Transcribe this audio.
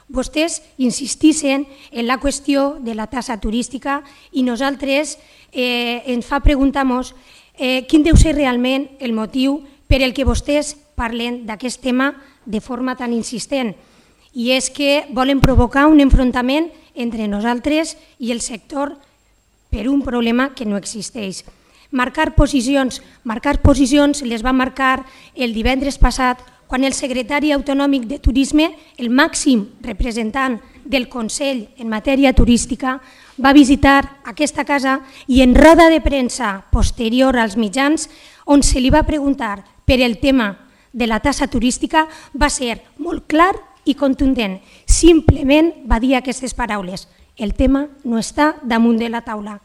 vostès insistissin en la qüestió de la taxa turística i nosaltres ens fa preguntar-nos quin deu ser realment el motiu per el que vostès parlen d'aquest tema de forma tan insistent. I és que volen provocar un enfrontament entre nosaltres i el sector per un problema que no existeix. Marcar posicions les va marcar el divendres passat quan el secretari autonòmic de Turisme, el màxim representant del Consell en matèria turística, va visitar aquesta casa i en roda de premsa posterior als mitjans, on se li va preguntar per el tema de la taxa turística, va ser molt clar i contundent. Simplement va dir aquestes paraules: el tema no està damunt de la taula.